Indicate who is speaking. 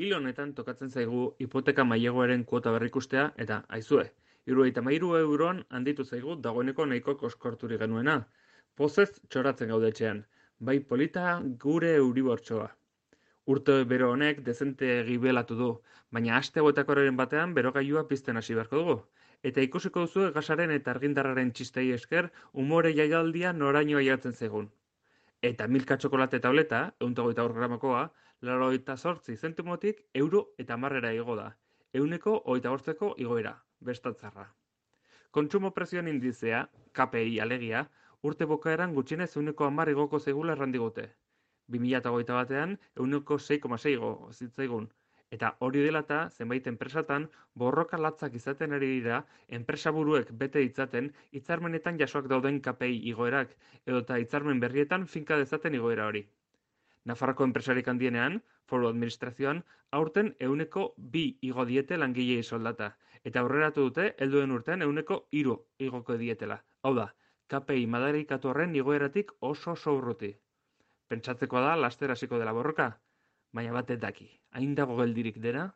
Speaker 1: Hil honetan tokatzen zaigu hipoteka maileguaren kuota berrikustea eta, aizue, 73 euroan handitu zaigu dagoeneko nahiko koskorturik genuena. Pozez txoratzen gaude etxean, bai polita gure euribortxoa. Urte bero honek dezente gibelatu du, baina aste hauetakoren batean berogailua pizten hasi beharko dugu. Eta ikusiko duzu gasaren eta argindarraren txistei esker umore jaialdia noraino aiatzen zaigun. Eta milka txokolate tableta, 108 gramakoa, 98 zentimotik €1,10 igo da. 125ko igoera, bestatzarra. Kontsumo prezioen indizea, KPI alegia, urte bukaeran gutxienez 110 igoko zaigula errandigute. 2021 batean 6,6 igo zitzaigun. Eta hori dela eta zenbait enpresatan borroka latzak izaten ari dira enpresaburuek bete ditzaten hitzarmenetan jasoak dauden KPI igoerak edota hitzarmen berrietan finka dezaten igoera hori. Nafarroko enpresarik handienean, foru administrazioan, aurten 2% igo diete langilei soldata, eta aurreratu dute helduen urtean 3% igoko dietela. Hau da, KPI madarikatu horren igoeratik oso urruti. Pentsatzekoa da laster hasiko dela borroka, baina batek daki, hain dago geldirik dena.